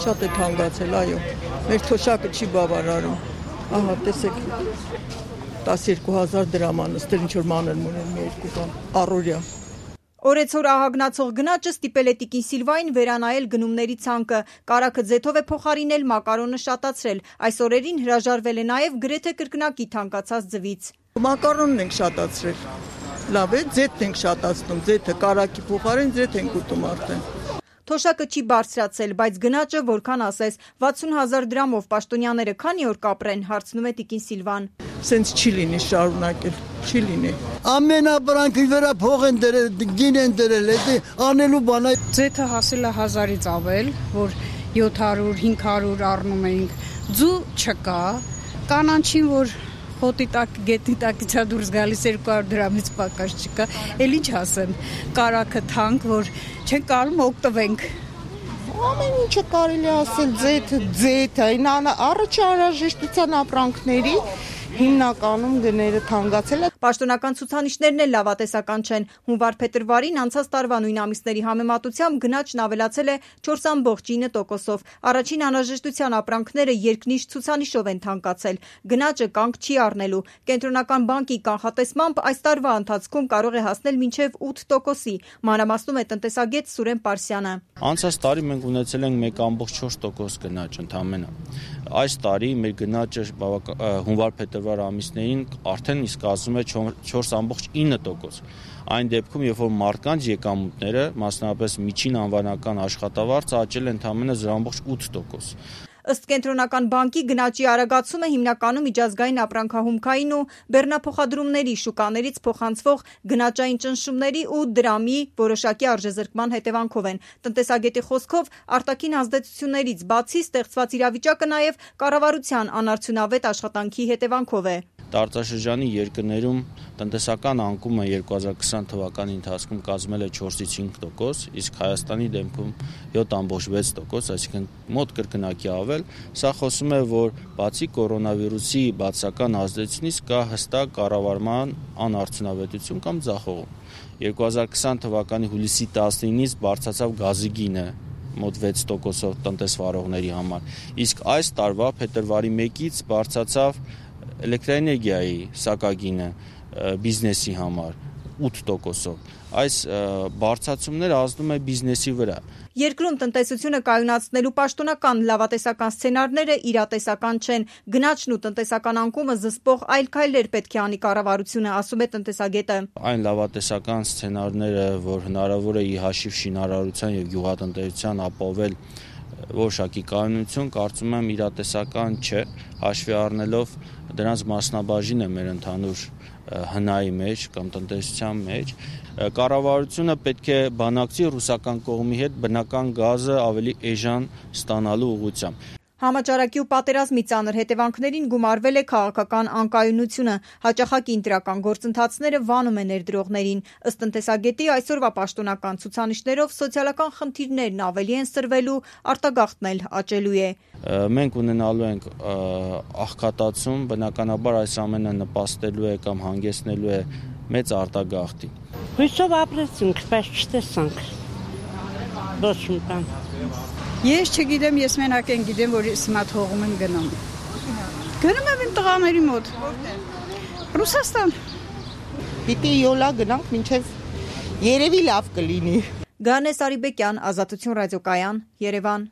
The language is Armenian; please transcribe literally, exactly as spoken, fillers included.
Շատ է թանկացել, այո։ Մեր թոշակը չի բավարարում։ Ահա, տեսեք, տասներկու հազար դրամ անստեր, ինչ որ մանր մոնել մի երկու բան, առօրյա։ Օրեցօր ահագնացող գնաճը ստիպել է տիկին Սիլվային վերանայել գնումների ցանկը, կարագը ձեթով է փոխարինել, մակարոնը շատացրել, այս օրերին հրաժարվել է նաև գրեթե կրկնակի թանկացած ձվից։ Մակարոնն ենք շատացրել, լավ է, ձեթ ենք շատացնում, ձեթը կարագի փոխարեն ձեթ ենք ուտում արդեն։ Թոշակը չի բարձրացել, բայց գնաճը որքան ասես, վաթսուն հազար դրամով պաշտոնյաները քանի օր կապրեն, հարցնում է տիկին Սիլվան։ Սենց չի լինի շարունակել, չի լինի։ Ամենաբրանքի վրա փող են դրել, գին են դրել, անելու բան է։ Ձեթը հասել է հազարից ավել, որ յոթ հարյուր հինգ հարյուր առնում էինք, ձու չկա, կանանչին, որ հոտի տակ, գետի տակից է դուրս գալիս երկու հարյուր դրամից պակաս չկա, էլ ինչ ասեմ, կարագը թանկ, որ չեն կարում օգտվենք։ Ամեն ինչը կարելի ասել, ձեթը, ձեթը, առաջ անհրաժեշտության ապրանքների հիմնականում գները թանկացել է։ Պաշտոնական ցուցանիշներն էլ լավատեսական չեն։ Հունվար-փետրվարին անցած տարվա նույն ամիսների համեմատությամբ գնաճն ավելացել է չորս ամբողջ ինը տոկոսով։ Առաջին անհրաժեշտության ապրանքները երկնիշ ցուցանիշով են թանկացել։ Գնաճը կանգ չի առնելու։ Կենտրոնական բանկի կանխատեսմամբ այս տարվա ընթացքում կարող է հասնել մինչև ութ տոկոսի։ Մանրամասնում է տնտեսագետ Սուրեն Պարսյանը։ Անցած տարի մենք ունեցել ենք մեկ ամբողջ չորս տոկոս գնաճ ընդամենը։ Այս տարի մեր գնաճը հունվար-փետրվար ամիսներին արդեն իսկ ասում է չորս ամբողջ ինը տոկոս։ Այն դեպքում, երբ որ մարդկանց եկամուտները, մասնավորապես միջին անվանական աշխատավարձը աճել է ընդամենը զրո ամբողջ ութ տոկոս։ Ըստ Կենտրոնական բանկի գնաճի արագացումը հիմնականում միջազգային ապրանքահումքային ու բեռնափոխադրումների շուկաներից փոխանցվող գնաճային ճնշումների ու դրամի որոշակի արժեզրկման հետևանքով են։ Տնտեսագետի խոսքով արտաքին ազդեցություններից բացի ստեղծված իրավիճակը նաև կառավարության անարդյունավետ աշխատանքի հետևանքով է։ Տարածաշրջանի երկրներում տնտեսական անկումը երկու հազար քսան թվականի ընթացքում կազմել է չորսից հինգ տոկոս, իսկ Հայաստանի դեպքում յոթ ամբողջ վեց տոկոս, այսինքն մոտ կրկնակի ավել։ Սա խոսում է, որ բացի կորոնավիրուսի բացական ազդեցությունից կա հստակ կառավարման անարդյունավետություն կամ ձախողում։ երկու հազար քսան թվականի հուլիսի տասնինից բարձրացավ գազի գինը մոտ վեց տոկոսով տնտեսվարողների համար, իսկ այս տարվա փետրվարի մեկից բարձրացավ էլեկտրաէներգիայի սակագինը բիզնեսի համար ութ տոկոսով։ Այս բարձրացումները ազդում է բիզնեսի վրա։ Երկրում տնտեսությունը կայունացնելու պաշտոնական լավատեսական սցենարները իրատեսական չեն։ Գնաճն ու տնտեսական անկումը զսպող այլ քայլեր պետք է անի կառավարությունը, ասում է տնտեսագետը։ Այն լավատեսական սցենարները, որ հնարավոր է ի հաշիվ շինարարության եւ գյուղատնտեսության ապահովել որոշակի կայունություն, կարծում եմ իրատեսական չէ, հաշվի առնելով դրանց մասնաբաժինը մեր ընդհանուր հնայի մեջ կամ տնտեսության մեջ։ Կառավարությունը պետք է բանակցի ռուսական կողմի հետ բնական գազը ավելի էժան ստանալու ուղղությամբ։ Համաճարակի ու պատերազմի ծանր հետևանքներին գումարվել է քաղաքական անկայունությունը, հաճախակի ընտրական գործընթացները վանում է ներդրողներին։ Ըստ տնտեսագետի այսօրվա պաշտոնական ցուցանիշներով սոցիալական խնդիրներն ավելի են սրվելու, արտագաղթն էլ աճելու է։ Մենք ունենալու ենք աղքատացում, բնականաբար այս ամենը նպաստելու է կամ հանգեցնելու է մեծ արտագաղթի։ Հույսով ապրեցինք, բայց չտեսանք։ Ոչ մի բան։ Ես չգիտեմ, ես մենակ են գիտեմ, որ ես հիմա թողում եմ գնում։ Գնում եմ իմ տղաների մոտ։ Ռուսաստան։ Պիտի յոլա գնանք, մինչև երևի լավ կլինի։ Գանես Արիբեկյան, Ազատություն ռադիոկայան, Երևան։